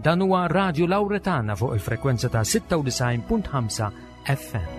Dan huwa Radju Lawretana fuq il-frekwenza ta' 96.5 FM.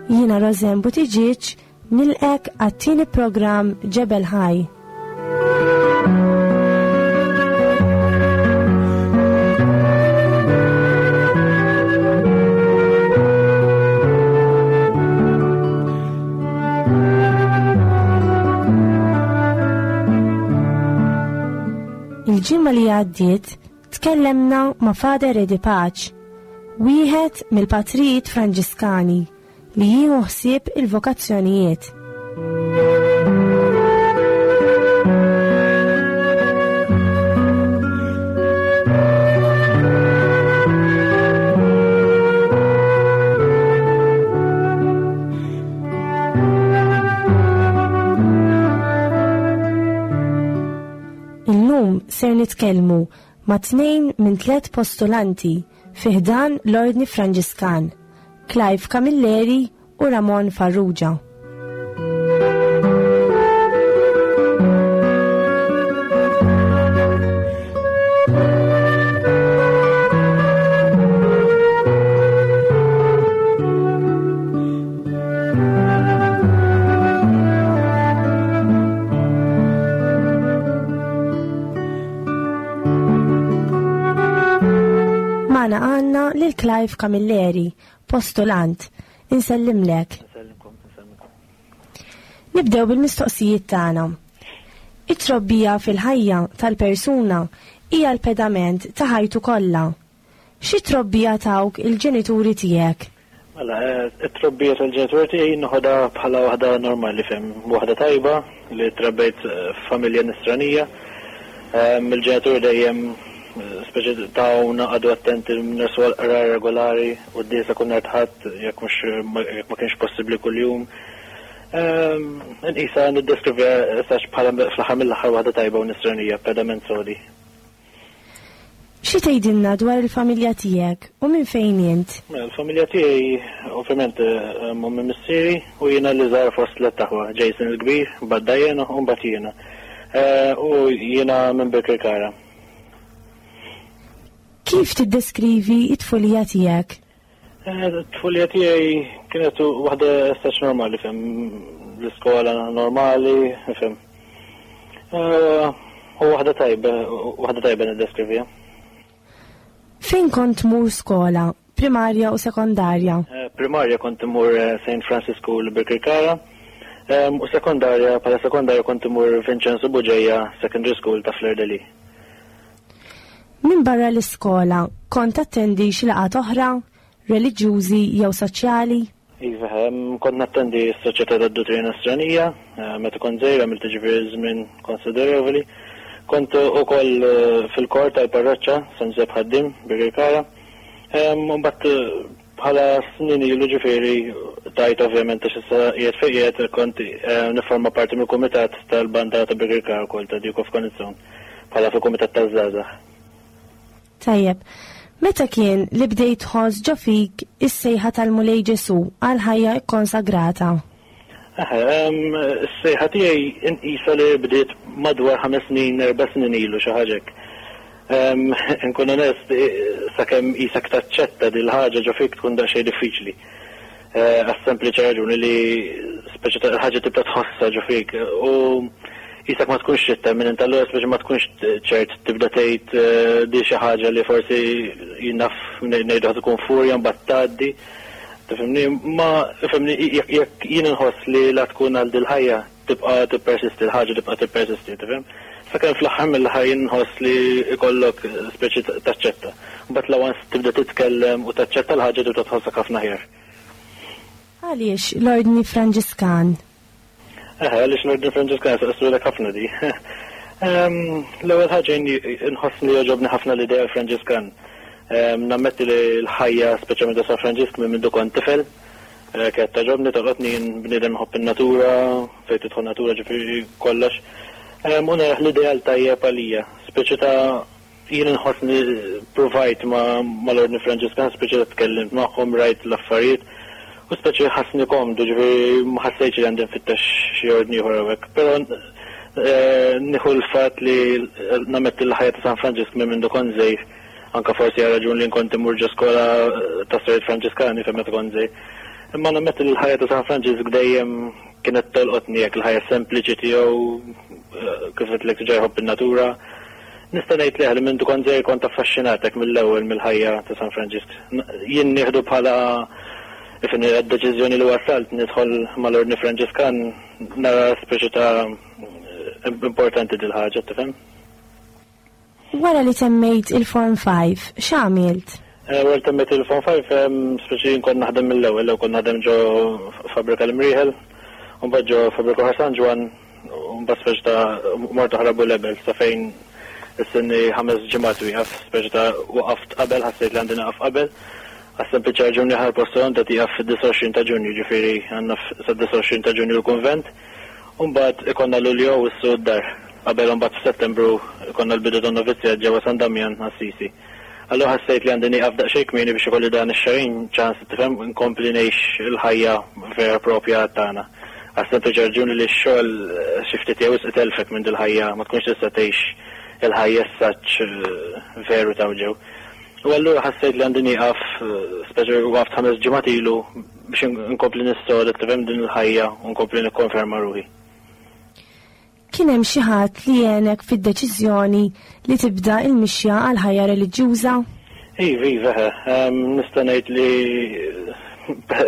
Jiena Rosen Buttigieg nilqek għat-tieni programm Ġebel Ħaj. Il-ġimgħa li għaddiet tkellemna ma' Father Eddie Pace, wieħed mill-patrijiet Franġiskani li jieħu ħsieb il-vokazzjonijiet. Illum ser nitkellmu ma' tnejn minn tlet postulanti fi ħdan l-Ordni Franġiskan, Clive Camilleri u Ramon Farrugia. Magħna għandna lil Clive Camilleri, postulant. Insellimlek. Nibdew bil-mistoqsijiet tagħna. It-trobbija fil-ħajja tal-persuna hija l-pedament ta' ħajtu kollha. Xi trobbija tawk il-ġenituri tiegħek? Mela, it-trobbija tal-ġenituri tiegħi noħodha bħala waħda normali fem, waħda tajba li trabbejt f'familja nisranija. Il-ġenituri dejjem speċi tawna qagħdu attenti nersu għall-qrar regolari, quddiesa kull nhar ta' Ħadd jekk mhux jekk ma kienx possibbli kuljum. Inqisha niddeskriviha sax bħala fl-aħħar mill-aħħar waħda tajba u nisranija, pedament sodi. Xi tgħidilna dwar il-familja tiegħek u minn fejn int? Mela, l-familja tiegħi ovvjament ommi missieri u jiena l-iżgħar fost tlett aħwa, Jason il-kbir, mbagħad Diana u mbagħad jiena. U jiena minn Birkirkara. Kif tiddeskrivi t-tfulija tiegħek? It-tfulija tiegħi kienet waħda staċ normali, fem, l-iskola normali, fem. U waħda tajba, waħda tajba niddeskrivija. Fejn kont tmur skola, primarja u sekondarja? Primarja kont imur St. Francis School Birkirkara, u sekondarja, bħala sekondarja kont imur Vincenzo Bugeja Secondary School ta' Fleur de Lys. Minbarra l-iskola, kont tattendi xi laqgħat oħra, reliġjużi jew soċjali? Iva, kont nattendi s-Soċjetà tad-Duttrina Nisranija, meta kont żgħir għamilt jiġifieri żmien konsiderevoli. Kont ukoll fil-kor tal-parroċċa San Ġużepp Ħaddiem, Birkirkara. Mbagħad bħala snin ilu ġifieri tajt ovvjament għax issa qiegħed fejn qiegħed kont nifforma parti mill-kumitat tal-banda ta' Birkirkara wkoll ta' Duke of Coniston bħala fil-kumitat taż-żgħażagħ. Tajjeb. Meta kien li bdejt tħoss ġo fik is-sejħa tal-Mulej Ġesù għal ħajja kkonsagrata? Is-sejħa tiegħi inqisha li bdiet madwar ħames snin, erba' snin ilu xi ħaġa hekk. Inkun onest, sakemm qisek taċċetta dil-ħaġa ġo fik tkun daqsxejn diffiċli. Għas-sempliċi raġuni li speċi ta' ħaġa tibda tħossha ġo fik u qisek ma tkunx trid temmen int allura speċi ma tkunx ċert tibda tgħid di xi ħaġa li forsi jien naf ngħidu ħa tkun furja mbagħad tgħaddi. Tifhimni? Ma ifhimni jekk jien inħoss li la tkun għal dil-ħajja tibqa' tippersisti l-ħaġa tibqa' tippersisti, tifhem? Sakemm fl-aħħar mill-aħħar jien nħoss li jkollok speċi taċċetta. Mbagħad la once tibda titkellem u taċċetta l-ħaġa tibda tħossok ħafna aħjar. Għaliex l-Ordni Franġiskan? Eħe, għaliex l-Ordni Franġiskan saqsulek ħafna di. L-ewwel ħaġa nħoss li jogħġobni ħafna l-idea Franġiskan. Nammetti li l-ħajja speċjalment ta' San Franġisk minn mindu kont tifel, kienet togħġobni, tolqotni jien bniedem nħobb in-natura, fejn tidħol natura ġifieri kollox. U narah l-ideal tajjeb għalija, speċi ta' jien inħossni provajt mal-Ordni Franġiskan, speċi ta' tkellimt magħhom, rajt l-affarijiet, u speċi ħassni komdu, ġifieri ma ħassejtx li għandi nfittex xi ordni ieħor hawnhekk. Però nieħu l-fatt li nammetti l-ħajja ta' San Franġisk minn mindu kont żgħir, anke forsi għal raġun li nkont immur ġo skola ta' Sorijiet Franġiskani fejn meta kont żgħir. Imma nammetti li l-ħajja ta' San Franġisk dejjem kienet tolqotni hekk il-ħajja sempliċi tiegħu, kif għedtlek diġà jħobb in-natura. Nista' ngħid leh li mindu kont żgħir kont affaxxinat hekk mill-ewwel mill-ħajja ta' San Franġisk. Jien nieħdu bħala ifhimni għad-deċiżjoni li wasalt nidħol mal-Ordni Franġiskan nara speċi ta' importanti dil-ħaġa, tifhem? Wara li temmejt il-Form 5, x'għamilt? Wara li temmejt il-Form 5, speċi jien kont naħdem mill-ewwel, l-ewwel kont naħdem ġo fabbrika l-Imrieħel, u mbagħad ġo fabbrika oħra San Ġwann, U mbagħad speċi ta' mort oħra Bulebel sa fejn issinni 5 ġimgħat wieqaf, speċi ta' waqaft qabel, ħassejt li għandi nieqaf qabel. Għas-sempliċi raġuni aħna l-postulant qed jieqaf fid-29 ta' Ġunju, ġifieri għandna sad-29 ta' Ġunju l-kunvent. U mbagħad ikollna Lulju u Awwissu d-dar. Qabel imbagħad f'Settembru ikollna l-bidu tan-novizzjat ġewwa San Damjan Assisi. Allura ħassejt li għandi nieqaf daqsxejn kmieni biex ikolli dan ix-xahrejn ċans, tifhem, nkompli ngħix il-ħajja vera propja tagħna. Għas-sempliċi raġuni li x-xogħol xi ftit jew wisq itelfek minn dil-ħajja, ma tkunx tista' tgħix il-ħajja as-such veru ta' ġew. U allura ħassejt li għandi nieqaf, speċi waqaft 5 ġimgħat ilu biex nkompli nissoda, tifhem, din il-ħajja u nkompli nikkonferma ruħi. Kien hemm xi ħadd li għenek fid-deċiżjoni li tibda l-mixja għal ħajja reliġjuża? Iva, iva, eħe. Nista' ngħid li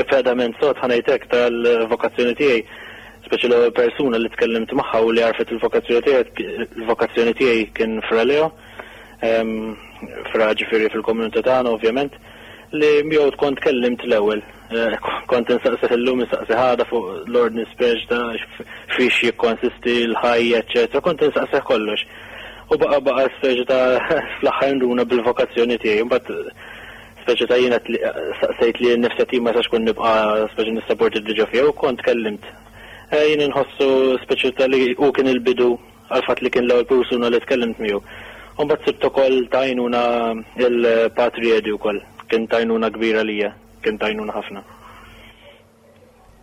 pedament sod ħa ngħid hekk tal-vokazzjoni tiegħi, speċi l-ewwel persuna li tkellimt magħha u li għarfet il-vokazzjoni tiegħi, il-vokazzjoni tiegħi kien Fra Leo, fra ġifieri fil-komunità tagħna ovvjament, li miegħu kont tkellimt l-ewwel. Kont insaqsih illum, insaqsih għada fuq l-ordni speċ ta' fiex jikkonsisti l-ħajja, eċċetera. Kont insaqsih kollox. U baqa' baqa' speċi ta' fl-aħħar nduna bil-vokazzjoni tiegħi. Imbagħad speċi ta' jiena saqsejt li nnifsi qed ma jistax kun nibqa' speċi nissaporti diġà fiha u kont tkellimt. Jien inħossu speċi ta' li hu kien il-bidu għall-fatt li kien l-ewwel persuna li tkellimt miegħu. U mbagħad sibt ukoll ta' għajnuna il-Patri Eddie wkoll, kien ta' għajnuna kbira lija. Kien ta' għajnuna ħafna.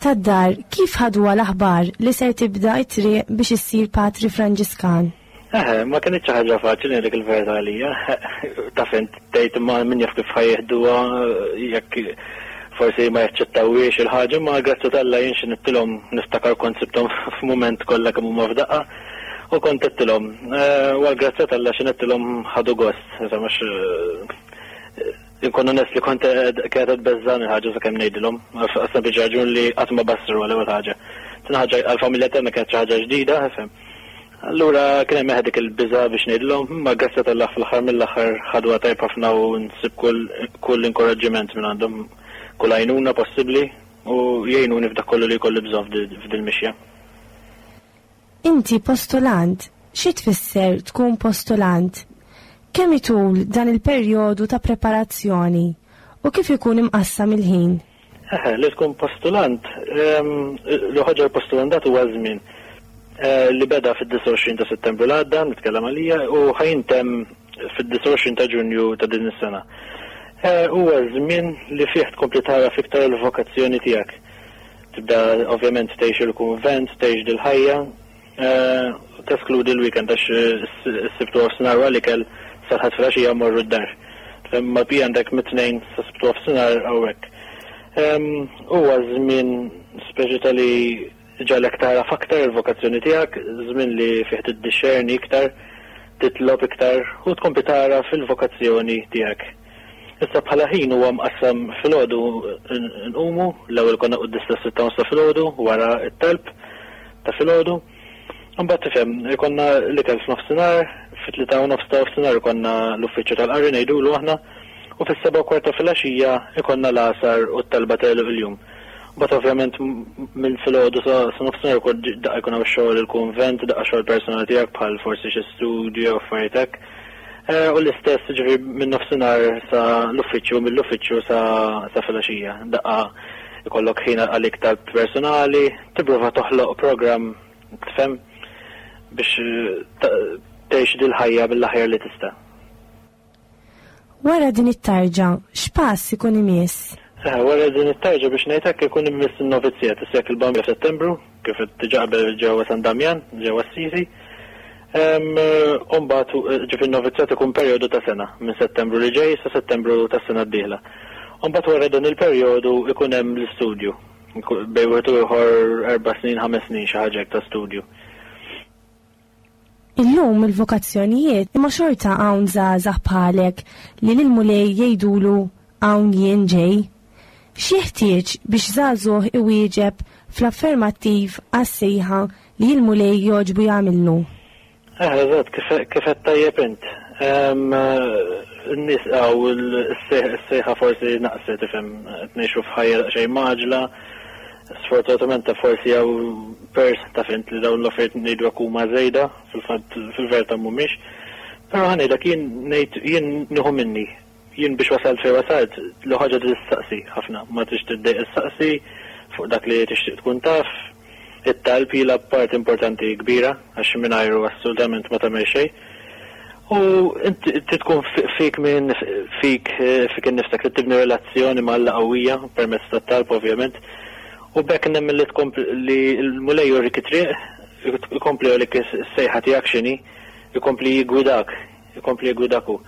Tad-dar, kif ħaduha l-aħbar li ser tibda t-triq biex issir patri Franġiskan? Eħe, ma kinitx xi ħaġa faċli ngħidlek il-verità għalija. Taf int tgħid imma min jaf kif ħa jieħduha jekk forsi ma jaċċettawhiex il-ħaġa, imma grazzi t'Alla jien xi nittilhom niftakar kont sibthom f'mument kollha kemm huma f'daqqa u kont għedtilhom. U għall-grazzja t'Alla xi ngħidtilhom ħadu gost, insomma Inkun onest li kont kienet qed tbeżżagħni l-ħaġa sakemm ngħidilhom, għas-sempliċi raġun li qatt ma bassru għal ewwel ħaġa. Tieni ħaġa għall-familja tagħna kienet xi ħaġa ġdida, ifhem. Allura kien hemm dik il-biża' biex ngħidilhom, imma grazzi t'Allah fl-aħħar mill-aħħar ħaduha tajjeb ħafna u nsib kull kull inkoraġġiment minn għandhom, kull għajnuna possibbli u jgħinuni f'dak kollu li jkolli bżonn f'dil-mixja. Inti postulant, xi tfisser tkun postulant? Kemm itul dan il-perjodu ta' preparazzjoni u kif ikun imqassam il-ħin? Eħe, li tkun postulant, li ħaġa l-postulandat huwa żmien li beda fid-29 ta' Settembru l-għadda, nitkellem għalija, u ħa jintemm fid-29 ta' Ġunju ta' din is-sena. Huwa żmien li fih tkompli tagħraf iktar il-vokazzjoni tiegħek. Tibda ovvjament tgħix il-kunvent, tgħix dil-ħajja, teskludi l-weekend għax is-Sibt u nofsinhar wara l-ikel sal-Ħadd filgħaxija mmorru d-dar. Imma l-bqija għandek mit-Tnejn sa Sibt u nofsinhar hawnhekk. Huwa żmien speċi ta' li ġagħlek tagħraf aktar il-vokazzjoni tiegħek, żmien li fih tiddixxerni iktar, titlob iktar u tkompli tagħraf il-vokazzjoni tiegħek. Issa bħala ħin huwa mqassam filgħodu nqumu, l-ewwel konna quddies tas-sitta u nofs ta' filgħodu wara t-talb ta' filgħodu. Imbagħad tifhem, ikollna l-ikel f'nofsinhar, fit-3:30 ta' nofsinhar ikollna l-uffiċċju tal-qari ngħidulu aħna, u fis-7:15 ta' filgħaxija ikollna l-għasar u t-talba ta' għeluq il-jum. But ovvjament minn filgħodu sa nofsinhar ukoll daqqa jkun hawn xogħol il-kunvent, daqqa xogħol personali tiegħek bħal forsi xi studju jew affarijiet hekk. Eh, u l-istess ġifieri minn nofsinhar sa l-uffiċċju, mill-uffiċċju sa sa filgħaxija. Daqqa ikollok ħin għalik tal-personali, tipprova toħloq programm tifhem biex eh, tgħix dil-ħajja mill-aħjar li tista'. Wara din it-tarġa, x'pass ikun imiss? Eh, wara din it-tarġa biex ngħid hekk ikun imiss in-novizzjat issa il-Bambin f'Settembru, kif diġà qabel ġewwa San Damjan, ġewwa Assisi. Umbagħad eh, ġifi n-novizzjat ikun perjodu ta' sena, minn Settembru li ġej sa Settembru tas-sena d-dieħla. Umbagħad wara dan il-perjodu ikun hemm l-istudju. Bejn wieħed u ieħor 4 snin, 5 snin xi ħaġa ta' studju. Illum il-vokazzjonijiet imma xorta hawn żgħażagħ bħalek li lill-Mulej jgħidulu hawn jien ġej. X'jeħtieġ biex żagħżugħ iwieġeb fl-affermattiv għas-sejħa li l-Mulej jogħġbu jagħmillu? Eh, eżatt, kif qed tajjeb int. In-nies hawn is-sejħa forsi naqset ifhem qed ngħixu f'ħajja daqsxejn mgħaġġla. Sfortunatament ta' forsi hawn pers ta' fint li dawn l-affarijiet ngħidu hekk huma żejda, fil-fatt fil-verità mhumiex. Però ħa ngħidlek jien ngħid jien nieħu minni. Jien biex wasalt fejn wasalt, l ħaġa tistaqsi ħafna, ma trix tiddejq issaqsi fuq dak li tixtieq tkun taf. It-talb jilgħab part importanti kbira għax mingħajru assolutament ma tagħmel xejn. U inti tkun fik minn fik fik innifsek li tibni relazzjoni ma' Alla qawwija permezz tat-talb ovvjament. U b'hekk nemmen li tkompli li l-Mulej jurik it-triq, ikompli jurik is-sejħa tiegħek x'inhi, ikompli jiggwidak, ikompli jiggwidak hu.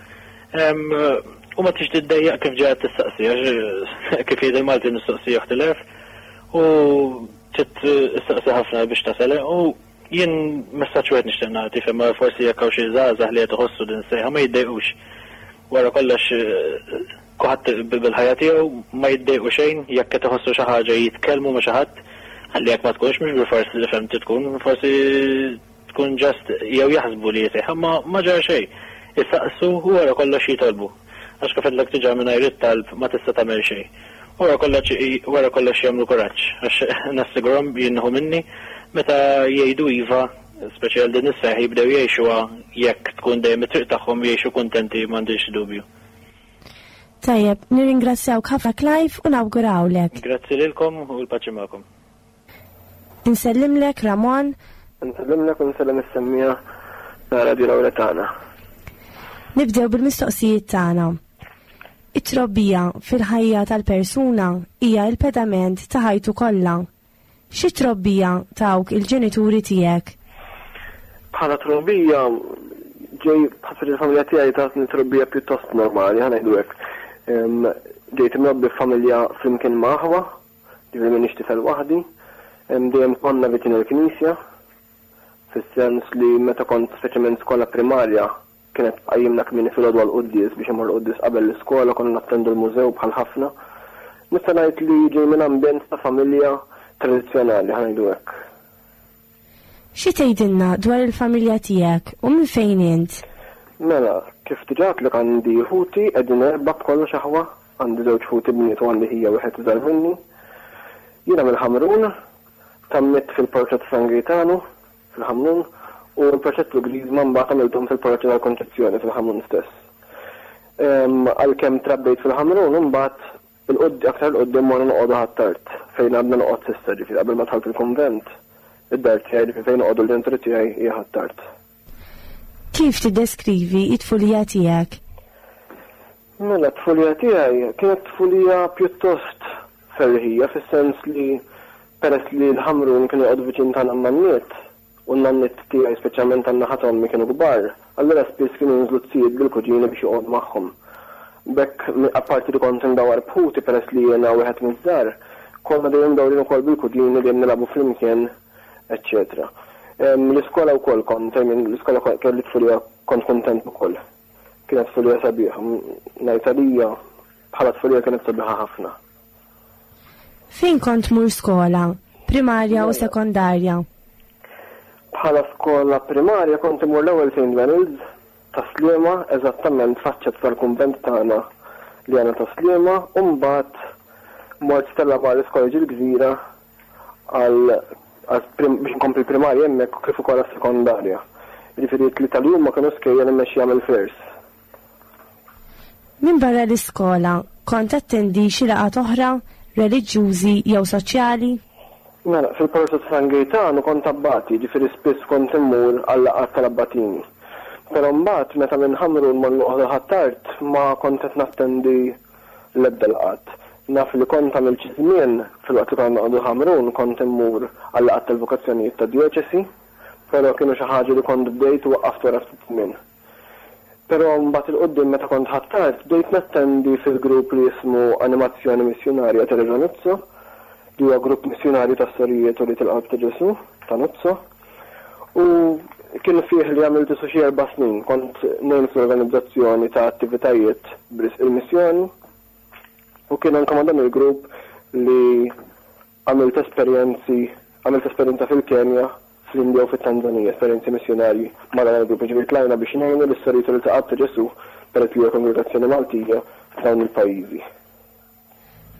U ma tix tiddejjaq kif ġejja tistaqsi, għax kif jgħid il-Malti mistoqsija oħt il-għerf, u trid issaqsi ħafna biex tasal. U jien messaġġ wieħed nixtieq nagħti fejn forsi jekk hawn xi żgħażagħ li qed iħossu din sejħa ma jiddejqux. Wara kollox kulħadd bil-ħajja tiegħu ma jiddejqu xejn jekk qed iħossu xi ħaġa jitkellmu ma' xi ħadd, ħalli jekk ma tkunx mhux bilfors li fhemt tkun, forsi tkun just jew jaħsbu li sejħa ma ma ġara xejn. Isaqsu u wara kollox jitolbu. Għax kif għedtlek diġà mingħajr it-talb ma tista' tagħmel xejn. Wara kollox wara kollox jagħmlu kuraġġ għax nassigurhom jien nieħu minni meta jgħidu iva, speċi għal din is-sejħa jibdew jgħixuha jekk tkun dejjem it-triq tagħhom jgħixu kuntenti m'għandix dubju. Tajjeb, nirringrazzjawk ħafna Clive u nawgurawlek. Grazzi lilkom u l-paċi magħkom. Insellimlek Ramon. Insellimlek u nsellem is-semmiegħa ta' Radio Lauretana. Nibdew bil-mistoqsijiet tagħna. It-trobbija fil-ħajja tal-persuna hija l-pedament ta' ħajtu kollha. Xi trobbija tawk il-ġenituri tiegħek? Bħala trobbija ġej bħal il-familja tiegħi tatni trobbija pjuttost normali, ħa ngħidu hekk. Ġejt imrobbi f'familja flimkien ma' aħwa, ġifieri m'iniex tifel waħdi. Dejjem konna viċin il-knisja, fis-sens li meta kont speċjalment skola primarja kienet tqajjimna kmieni filgħodu għall-quddies biex immorru quddies qabel l-iskola, konna nattendu l-mużew bħal ħafna. Nista' ngħid li ġej minn ambjent ta' familja tradizzjonali, ħa ngħidu hekk. Xi tgħidilna dwar il-familja tiegħek u minn fejn int? Mela, kif diġà għedtlek għandi ħuti qegħdin erbgħa b'kollox aħwa, għandi żewġ ħuti bniet u għandi ħija wieħed iżgħar minni. Jiena mill-Ħamrun, tgħammidt fil-parroċċa ta' San Gejtanu, fil-Ħamrun, u l-proċess tal-Griżma mbagħad għamilthom fil-parroċċa tal-Konċezzjoni fil-Ħamrun stess. Għalkemm trabbejt fil-Ħamrun, imbagħad aktar 'il quddiem morna noqogħdu Ħ'Attard, fejn għadna noqgħod s'issa, ġifieri qabel ma dħalt il-kunvent, id-dar tiegħi, ġifieri fejn noqogħdu l-ġenituri tiegħi hija Ħ'Attard. Kif tiddeskrivi t-tfulija tiegħek? Mela, t-tfulija tiegħi kienet tfulija pjuttost ferriħija fis-sens li peress li l-Ħamrun kienu joqogħdu viċin tagħna n-nanniet, u n-nanniet tiegħi speċjalment tan-naħa t'ommi kienu kbar, allura spiss kienu jinżlu t-sijiet bil-kuġini biex joqogħdu magħhom. B'hekk, apparti li kont imdawwar b'ħuti peress li jiena wieħed miż-żgħar, konna dejjem mdawrin ukoll bil-kuġini dejjem nilagħbu flimkien, eċċetera. L-iskola wkoll kont, I mean, l-iskola kelli tfulija kont kuntent ukoll. Kienet tfulija sabiħa, ngħid għalija bħala tfulija kienet sabiħa ħafna. Fejn kont tmur skola, primarja u sekondarja? Bħala skola primarja kont imur l-ewwel St. Benild's ta' Sliema, eżattament faċċata tal-kunvent tagħna li għandna ta' Sliema, u mbagħad mort Stella Maris College il-Gżira għal biex nkompli l-primarja hemmhekk kif ukoll għas-sekondarja. Jiġifieri t-tlieta li huma kienu skejjel immexxija mill-Flairs. Minbarra l-iskola, kont tattendi xi laqgħat oħra, reliġjużi jew soċjali? Mela, fil-parroċċa ta' San Gejtanu kont abbati, jiġifieri spiss kont immur għal-laqgħat tal-abbatini. Però mbagħad meta minn Ħamrun morna noqogħdu Ħ'Attard ma kont qed nattendi l-ebda laqgħat. Naf li kont għamilt xi żmien, filwaqt li konna noqogħdu Ħamrun, kont immur għal-laqgħat tal-vokazzjonijiet tad-djoċesi, però kienu xi ħaġa li kont bdejt u waqqaft wara ftit żmien. Però mbagħad 'il quddiem meta kont Ħ'Attard bdejt nattendi fil-grupp li jismu Animazzjoni Missjunarja Teresa Nuzzo, li huwa grupp missjunarju tas-Sorijiet Ulied il-Qalb ta' Ġesù ta' Nuzzo. U kien fih li għamilt isu xi erba' snin, kont ngħin fl-organizzazzjoni ta' attivitajiet b'risq il-missjoni u kien anke ma' dan il-grupp li Għamilt esperjenzi, għamilt esperjenza fil-Kenja, fl-Indja u fit-Tanzanija, esperjenzi missjunarji ma' dan il-grupp. Jiġifieri tlajna biex ngħinu lis-Sorijiet u lil-Taqab ta' Ġesù, peress li hija kongregazzjoni Maltija, f'dawn il-pajjiżi.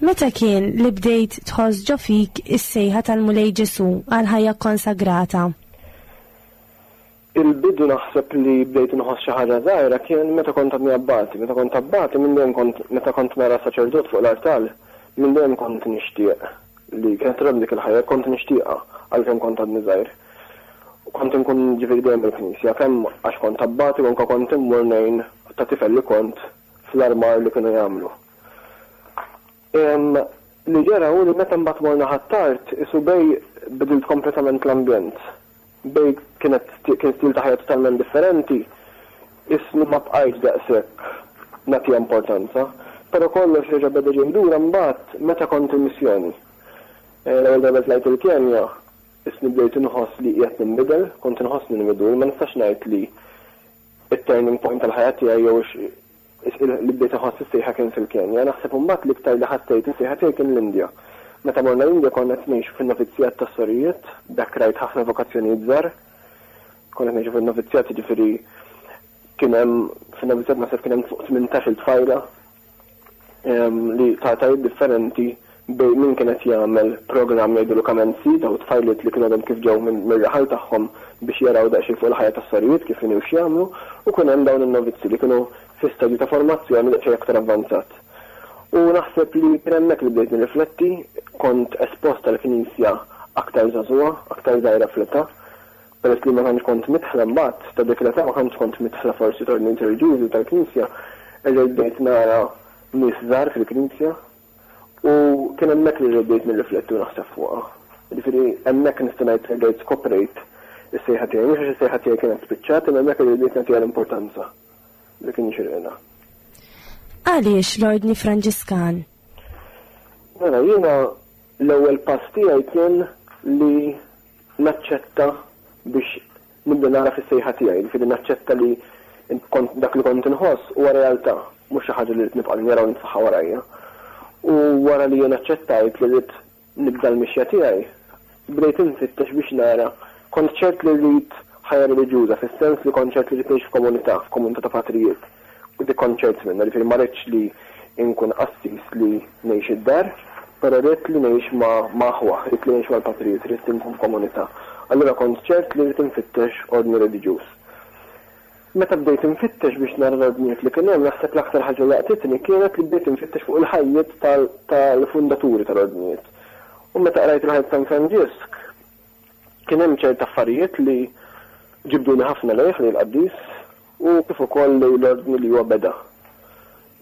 Meta kien li bdejt tħoss ġo fik is-sejħa tal-Mulej Ġesù għall-ħajja kkonsagrata? Il-bidu naħseb li bdejt inħoss xi ħaġa żgħira kien meta kont għadni abbati. Meta kont abbati minn dejjem kont meta kont nara saċerdot fuq l-artal, minn dejjem kont nixtieq li kienet togħġobni dik il-ħajja, kont nixtieqha għalkemm kont għadni żgħir. Kont inkun ġifieri dejjem il-knisja, kemm għax kont abbati u anke kont immur ngħin ta' tifel li kont fl-armar li kienu jagħmlu. Li ġara hu li meta mbagħad morna Ħ'Attard, isu bej bidilt kompletament l-ambjent. Bej kienet kien stil ta' ħajja totalment differenti, isni ma bqajtx daqshekk nagħtiha importanza. Però kollox reġa' beda ġej lura mbagħad meta kont il-missjoni. L-ewwel darba li tlajt il-Kenja, isni bdejt inħoss li qiegħed ninbidel, kont inħossni nmidul, ma nistax ngħid li it-turning point tal-ħajja tiegħi jew Li bdejt inħoss is-sejħa kien fil-Kenja. Naħseb imbagħad l-iktar li ħassejt is-sejħa tiegħi kien l-Indja. Meta morna l-Indja konna qed ngħixu fin-novizzjat tas-sorijiet, b'hekk rajt ħafna vokazzjonijiet żgħar. Konna qed ngħixu fin-novizzjat jiġifieri kien hemm fin-novizzjat naħseb kien hemm fuq 18-il tfajla li ta' etajiet differenti bejn min kien qed jagħmel programm jgħidulu Kamenzi, dawn it-tfajliet li kienu għadhom kif ġew mir-raħal tagħhom biex jaraw daqsxejn fuq il-ħajja tas-sorijiet kif inhi u x'jagħmlu, u kien hemm dawn in-novizzi li kienu fi stadju ta' formazzjoni daqsxejn aktar avvanzat. U naħseb li kien hemmhekk li bdejt nirrifletti, kont espost għall-Knisja aktar żagħżugħa, aktar żgħira fl-età, peress li ma tantx kont midħla mbagħad ta' dik l-età ma tantx kont midħla forsi t'ordnijiet reliġjużi u tal-Knisja, erġajt bdejt nara nies żgħar fil-Knisja U kien hemmhekk li bdejt nirrifletti u naħseb fuqha. Jiġifieri hemmhekk nista' ngħid li rġajt skoprejt is-sejħa tiegħi. Mhux għax is-sejħa tiegħi kienet spiċċat, imma hemmhekk li bdejt nagħtiha l-importanza li kien jixirqilha. Għaliex l-Ordni Franġiskan? Mela jiena l-ewwel pass tiegħi kien li naċċetta biex Nibda nagħraf is-sejħa tiegħi, jiġifieri naċċetta li kont dak li kont inħoss huwa realtà, mhux xi ħaġa li rrid nibqa' ninjora u nitfaħħa warajja. U wara li jien aċċettajt li rrid nibda l-mixja tiegħi, bdejt infittex biex nara, kont ċert li rrid ħajja reliġjuża fis-sens li kont ċert li rrid ngħix f'komunità, f'komunità ta' patrijiet. U dik kont ċert minnha, jiġifieri ma ridtx li nkun qassis li ngħix id-dar, però ridt li ngħix ma' ma' aħwa, ridt li ngħix mal-patrijiet, ridt li nkun f'komunità. Allura kont ċert li rrid infittex ordni reliġjuż. Meta bdejt infittex biex nara l-ordnijiet li kien hemm, naħseb l-aktar ħaġa li laqtitni kienet li bdejt infittex fuq il-ħajjiet tal-fundaturi tal-ordnijiet. U meta qrajt il-ħajja ta' San Franġisk, Kien hemm ċerti affarijiet li ġibduni ħafna lejh, lejn il-qaddis, u kif ukoll lejn l-ordni li huwa beda.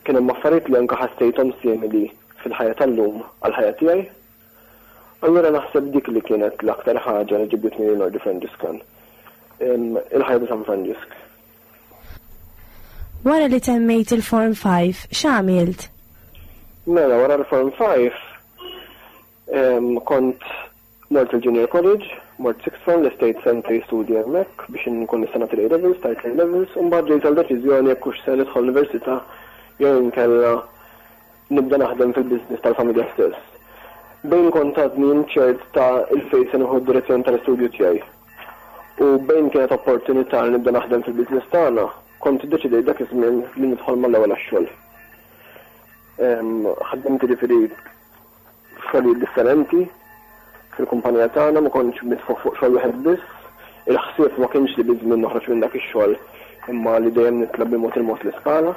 Kien hemm affarijiet li anke ħassejthom simili fil-ħajja tal-lum għall-ħajja tiegħi. Allura naħseb dik li kienet l-aktar ħaġa li ġibditni lejn l-Ordni Franġiskan. Il-ħajja ta' San Franġisk. Wara li temmejt il-Form 5, x'għamilt? Mela, wara l-Form 5, kont Mort il-Junior College, mort Sixth Form, lestejt sentejn studji hemmhekk biex inkun nista' nagħti l-A Levels, tajt l-A Levels, u mbagħad ġejt għal deċiżjoni jekk hux se nidħol l-università jew inkella nibda naħdem fil-business tal-familja stess. Bejn kont għadni inċert ta' 'il fejn se nieħu d-direzzjoni tal-istudju tiegħi u bejn kienet opportunità li nibda naħdem fil-business tagħna, kont iddeċidejt dak iż-żmien li nidħol mal-ewwel għax-xogħol. Ħaddimt jiġifieri. f'xogħlijiet differenti fil-kumpanija tagħna, ma kontx mitfugħ fuq xogħol wieħed biss. Il-ħsieb ma kienx li biż-żmien noħroġ minn dak ix-xogħol imma li dejjem nitla' bil-mod il-mod l-iskala.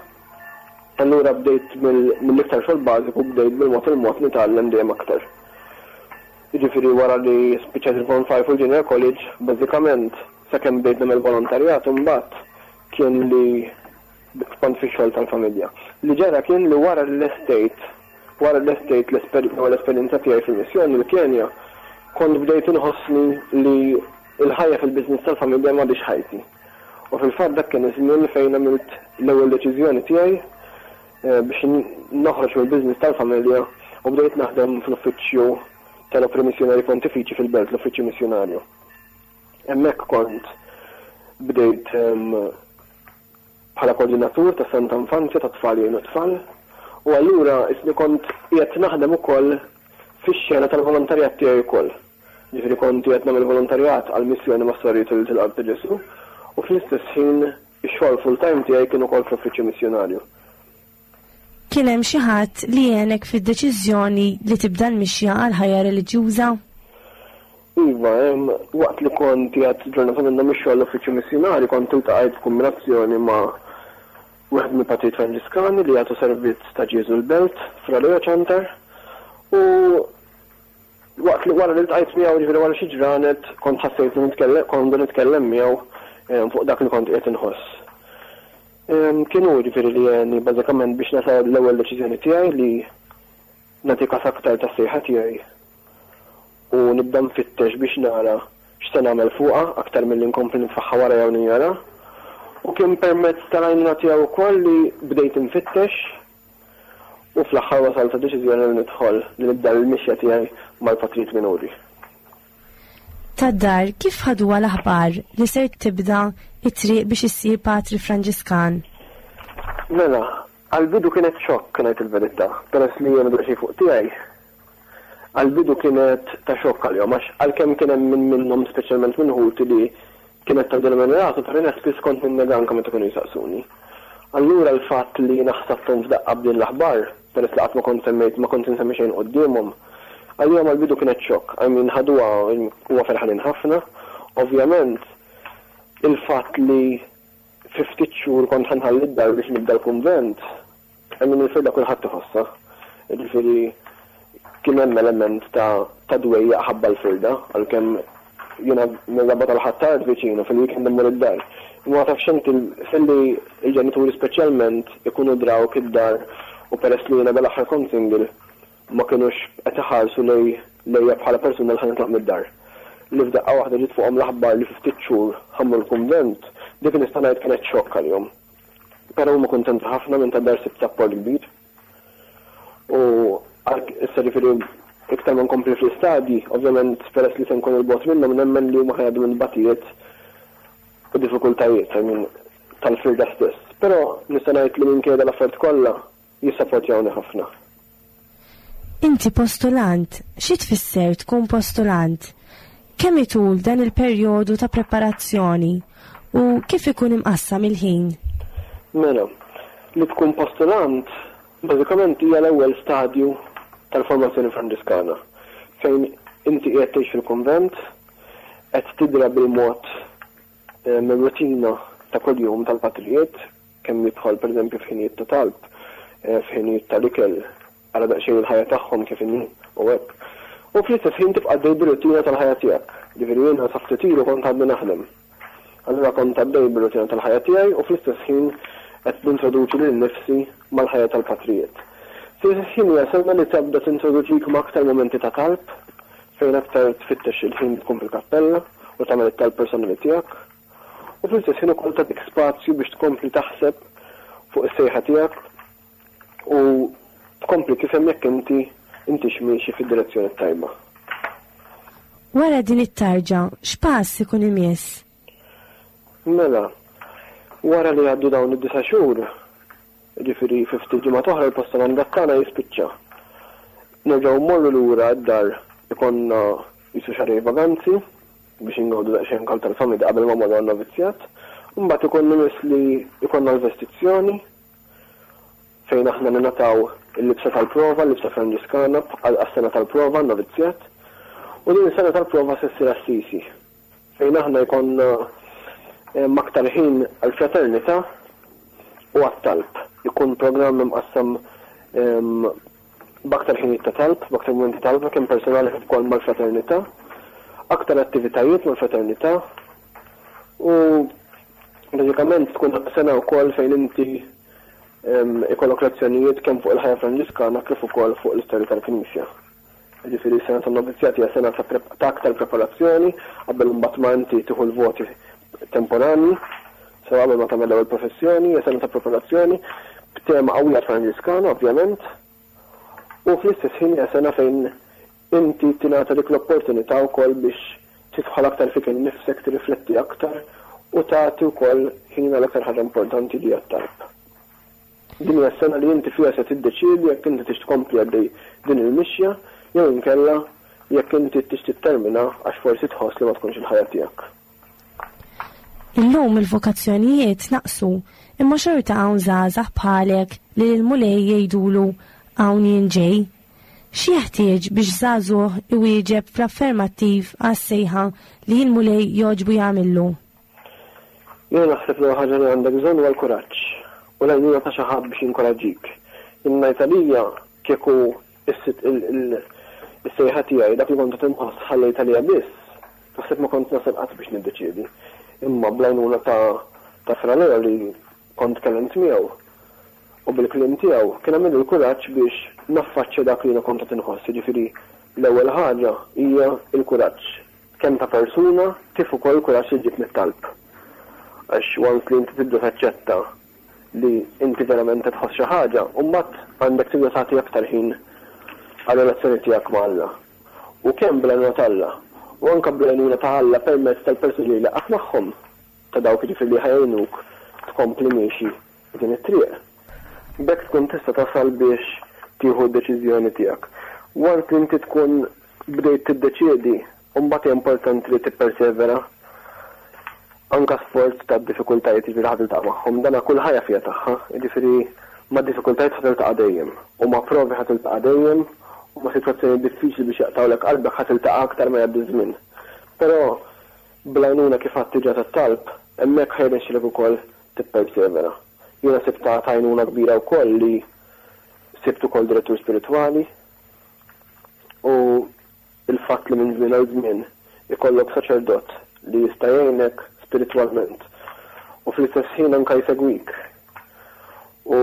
Allura bdejt mill-iktar xogħol bażiku bdejt bil-mod il-mod nitgħallem dejjem aktar. Jiġifieri wara li spiċċajt il-Form 5 u l-Junior College, bażikament sakemm bdejt nagħmel volontarjat imbagħad kien li kont fix-xogħol tal-familja. Li ġara kien li wara li lestejt wara li lestejt l-ewwel esperjenza tiegħi fil-missjoni l-Kenja, kont bdejt inħossni li l-ħajja fil-business tal-familja m'għadhiex ħajti. U fil-fatt dak kien iż-żmien fejn għamilt l-ewwel deċiżjoni tiegħi biex noħroġ mill-business tal-familja u bdejt naħdem fl-uffiċċju tal-Opri Missjonarji Pontifiċi fil-Belt, l-uffiċċju missjonarju. Hemmhekk kont bdejt bħala koordinatur ta' Santa Infanzja ta' tfal jgħinu tfal u allura isni kont qiegħed naħdem ukoll fix-xena tal-volontarjat tiegħi wkoll. Ġifieri kont qiegħed nagħmel volontarjat għal missjoni ma' Sorijiet Ulied il-Qalb ta' Ġesù u fl-istess ħin ix-xogħol full-time tiegħi kien ukoll fl-uffiċċju missjonarju. Kien hemm xi ħadd li għenek fid-deċiżjoni li tibda l-mixja għal ħajja reliġjuża? Iva, waqt li kont qiegħed ġurnata minnhom ix-xogħol l-uffiċċju missjunarju kont iltaqajt f'kumbinazzjoni ma' wieħed mill-patrijiet Franġiskani li jagħtu servizz ta' Ġieżu l-Belt, Fra Leo Ciantar, u Waqt li wara li ltqajt miegħu, jiġifieri wara xi ġranet, kont ħassejt li nitkellem, kont nitkellem miegħu fuq dak li kont qiegħed inħoss. Kien hu jiġifieri li għeni bażikament biex nasal l-ewwel deċiżjoni tiegħi li nagħti kas aktar tas-sejħa tiegħi u nibda nfittex biex nara x'se nagħmel fuqha aktar milli nkompli nitfaħħa wara jew ninjora. U kien permezz tal-għajnuna tiegħu wkoll li bdejt infittex U fl-aħħar wasalt għad-deċiżjoni li nidħol li nibda l-mixja tiegħi mal-Patrijiet Minuri. Tad-dar kif ħaduha l-aħbar li ser tibda t-triq biex issir Patri Franġiskan? Mela, għall-bidu kienet xokk ngħid il-verità, peress li jiena daqsxejn fuq tiegħi. Għall-bidu kienet ta' xokk għalihom għax għalkemm kien hemm min minnhom speċjalment minn ħuti li kienet tgħaddilhom minn rasu però jiena spiss kont ninnega anke meta kienu jsaqsuni. Allura l-fatt li jiena ħsadthom f'daqqa b'din l-aħbar, peress li qatt ma kont semmejt ma kont insemmi xejn quddiemhom, għalihom għall-bidu kienet xokk. I mean ħaduha huma ferħanin ħafna. Ovvjament il-fatt li fi ftit xhur kont ħa nħalli d-dar biex nibda l-kunvent, I mean il-firda kulħadd iħossha. Jiġifieri kien hemm element ta' ta' dwejjaq ħabba l-firda, għalkemm jiena mir-Rabat għal Ħ'Attard viċin u fil-weekend immur id-dar. Imma ma tafx inti filli l-ġenituri speċjalment ikunu drawk id-dar u peress li jiena dal-aħħar kont single ma kinux qed iħarsu lej lejja bħala persuna li ħa nitlaq mid-dar. Li f'daqqa waħda ġiet fuqhom l-aħbar li fi ftit xhur ħa mmur l-kunvent, dik nista' ngħid kienet xokk għalihom. Però huma kuntenti ħafna minn tad-dar sibt sapport kbir. U issa ġifieri iktar ma nkompli fl-istadji, ovvjament peress li se nkun 'il bogħod minnhom nemmen li huma ħa jgħaddu minn tbatijiet u diffikultajiet, I mean, tal-firda stess. Però nista' ngħid li minkejja dal-affarijiet kollha jissapportjawni ħafna. Inti postulant, xi tfisser tkun postulant? Kemm itul dan il-perjodu ta' preparazzjoni u kif ikun imqassam il-ħin? Mela, li tkun postulant bażikament hija l-ewwel stadju tal-formazzjoni Franġiskana, fejn inti qiegħed tgħix fil-kunvent, qed tidra bil-mod mir-rutina ta' kuljum tal-patrijiet, kemm jidħol pereżempju f'ħinijiet ta' talb, f'ħinijiet tal-ikel, ara daqsxejn il-ħajja tagħhom kif inhi u hekk. U fl-istess ħin tibqa' għaddej bir-rutina tal-ħajja tiegħek. Jiġifieri jiena sa ftit ilu kont għadni naħdem. Allura kont għaddej bir-rutina tal-ħajja tiegħi u fl-istess ħin qed nintroduċi lili nnifsi mal-ħajja tal-patrijiet. Fl-istess ħin hija sena li tibda tintroduċik ma' aktar mumenti ta' talb, fejn aktar tfittex il-ħin li tkun fil-kappella u tagħmel it-talb personali tiegħek. U fl-istess ħin ukoll tagħtik spazju biex tkompli taħseb fuq is-sejħa tiegħek u tkompli tifhem jekk inti intix miexi fid-direzzjoni t-tajba. Wara din it-tarġa, x'pass ikun imiss? Mela, wara li jgħaddu dawn id-disa' xhur, jiġifieri fi ftit ġimgħat oħra l-postomandat tagħna jispiċċa. Nerġgħu mmorru lura d-dar ikollna qisu xahrejn vaganzi biex ingawdu daqsxejn kal tal-familja qabel ma mmorru għan-novizzjat. Imbagħad ikun imiss li jkollna l-vestizzjoni. fejn aħna ningħataw il-libsa tal-prova, l-libsa Franġiskana għas-sena tal-prova, novizzjat. U din is-sena tal-prova se ssir Assisi, fejn aħna jkollna aktar ħin għall-fraternità u għat-talb. Ikun programm imqassam b'aktar ħinijiet ta' talb, b'aktar mumenti ta' talb, kemm personali kif ukoll mal-fraternità, aktar attivitajiet mal-fraternità u bażikament tkun sena wkoll fejn inti ikollok lezzjonijiet kemm fuq il-ħajja Franġiskana kif ukoll fuq l-istorja tal-Knisja. Jiġifieri s-sena tan-novizzjat hija sena ta' aktar preparazzjoni qabel imbagħad ma inti tieħu l-voti temporanji, sew qabel ma tagħmel l-ewwel professjoni, hija sena ta' preparazzjoni b'tema qawwija Franġiskana ovvjament, u fl-istess ħin hija sena fejn inti tingħata dik l-opportunità wkoll biex tidħol aktar fik innifsek, tirrifletti aktar u tagħti wkoll ħin għal aktar ħaġa importanti li hija t-talb. Din hija s-sena li inti fiha se tiddeċiedi jekk inti tix tkompli għaddej din il-mixja jew inkella jekk inti tix tittermina għax forsi tħoss li ma tkunx il-ħajja tiegħek. Illum il-vokazzjonijiet naqsu, imma xorta hawn żgħażagħ bħalek li lill-Mulej jgħidulu hawn jien ġej. X'jeħtieġ biex żagħżugħ iwieġeb fl-affermattiv għas-sejħa li l-Mulej jogħġbu jagħmillu? Jiena naħseb l-ewwel ħaġa li għandek bżonn huwa l-kuraġġ u l-għajnuna ta' xi ħadd biex jinkoraġġik. Jien ngħid għalija kieku is-sejħa tiegħi dak li kont qed inħoss ħallejt għalija biss, naħseb ma kont nasal qatt biex niddeċiedi. Imma bl-għajnuna ta' ta' Fra Leo li kont tkellimt miegħu u bil-kliem tiegħu kien għamilli l-kuraġġ biex naffaċċja dak li jiena kont qed inħoss. Jiġifieri l-ewwel ħaġa hija l-kuraġġ. Kemm ta' persuna kif ukoll kuraġġ li ġġib mit-talb. Għax once li inti tibda taċċetta li inti verament qed tħoss xi ħaġa, u mbagħad għandek tibda tagħti aktar ħin għar-relazzjoni tiegħek ma' Alla. U kemm bl-għajnuna t'Alla, u anke bl-għajnuna ta' Alla permezz tal-persuni li jlaqqgħek magħhom, ta' dawk jiġifieri li ħa jgħinuk tkompli miexi f'din it-triq. B'hekk tkun tista' tasal biex tieħu d-deċiżjoni tiegħek. Once li inti tkun bdejt tiddeċiedi, u mbagħad hija importanti li tippersevera anke sforz tad-diffikultajiet jiġifieri ħa tiltaqa' magħhom. Dana kull ħajja fiha tagħha, jiġifieri ma' diffikultajiet ħa tiltaqa' dejjem u ma' provi ħa tiltaqa' dejjem u ma' sitwazzjonijiet diffiċli biex jaqtgħulek qalbek ħa tiltaqa' aktar ma jgħaddi ż-żmien. Però bl-għajnuna kif għedt diġà tat-talb, hemmhekk ħa jirnexxilek ukoll tippersevera. Jiena sibtha ta' għajnuna kbira wkoll li sibt ukoll direttur spiritwali u l-fatt li minn żmien għal żmien ikollok saċerdot li jista' jgħinek spiritwalment u fl-istess ħin anke jsegwik u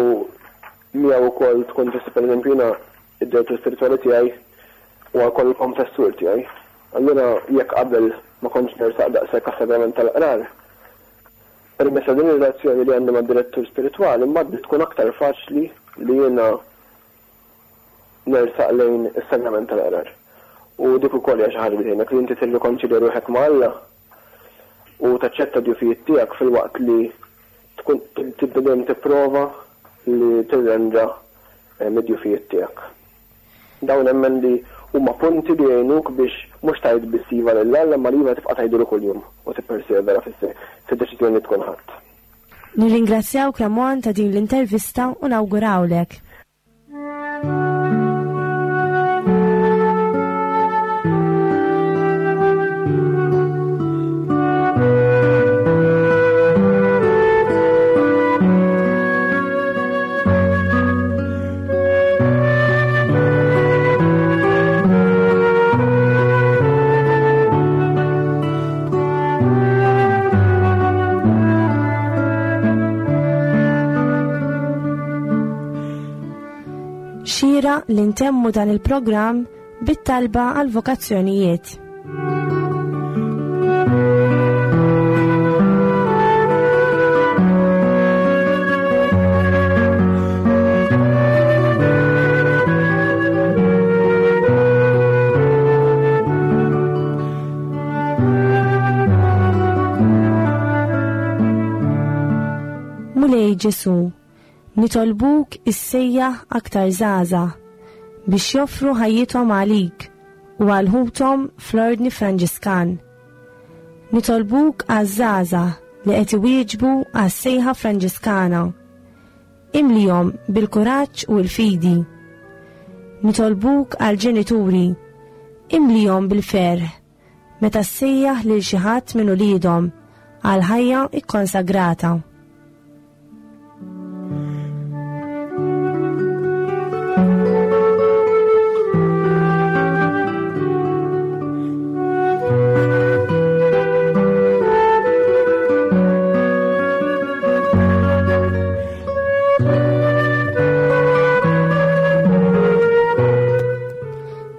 miegħu wkoll tkun tista' pereżempju jiena id-direttur spiritwali tiegħi huwa wkoll il-konfessur tiegħi. Allura jekk qabel ma kontx nersaq daqshekk għas-sagrament tal-qrar, permezz ta' din ir-relazzjoni li għandi mad-direttur spiritwali mbagħad tkun aktar faċli li jiena nersaq lejn is-sagrament tal-qrar. U dik ukoll hija xi ħaġa li tgħinek li inti tirrikonċilja ruħek ma' Alla u taċċetta d-djufijiet tiegħek filwaqt li tkun tibda dejjem tipprova li tirranġa eh, mid-djufijiet tiegħek. Dawn nemmen li huma punti li jgħinuk biex mhux tgħid biss iva lil Alla imma li iva tibqa' tgħidulu kuljum u tippersevera fid-deċiżjoni li tkun ħadt. Nirringrazzjawk Ramon ta' din l-intervista u nawgurawlek. Xira li ntemmu dan il-programm bit-talba għal vokazzjonijiet. Mulej Ġesu, nitolbuk issejjaħ aktar żgħażagħ biex joffru ħajjithom għalik u għal ħuthom fl-Ordni Franġiskan. Nitolbuk għaż-żgħażagħ li qed iwieġbu għas-sejħa Franġiskana. Imlihom bil-kuraġġ u l-fidi. Nitolbuk għall-ġenituri, imlihom bil-ferħ meta ssejjaħ lil xi ħadd minn uliedhom għal ħajja kkonsagrata.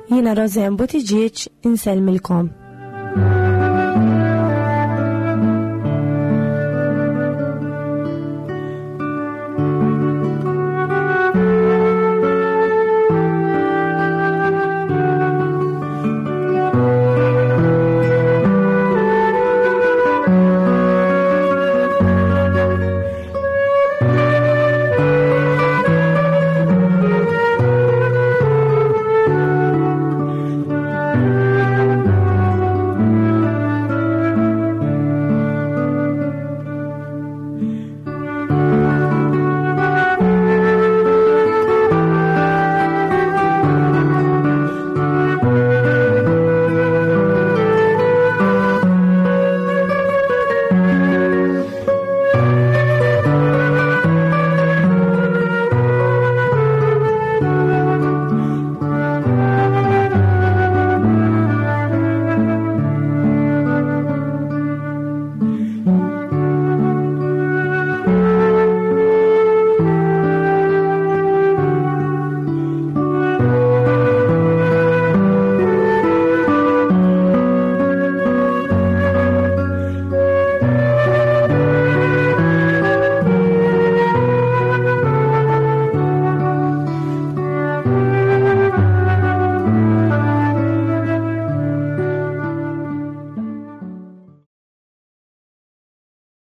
Jiena Roseanne Buttigieg insellmilkom.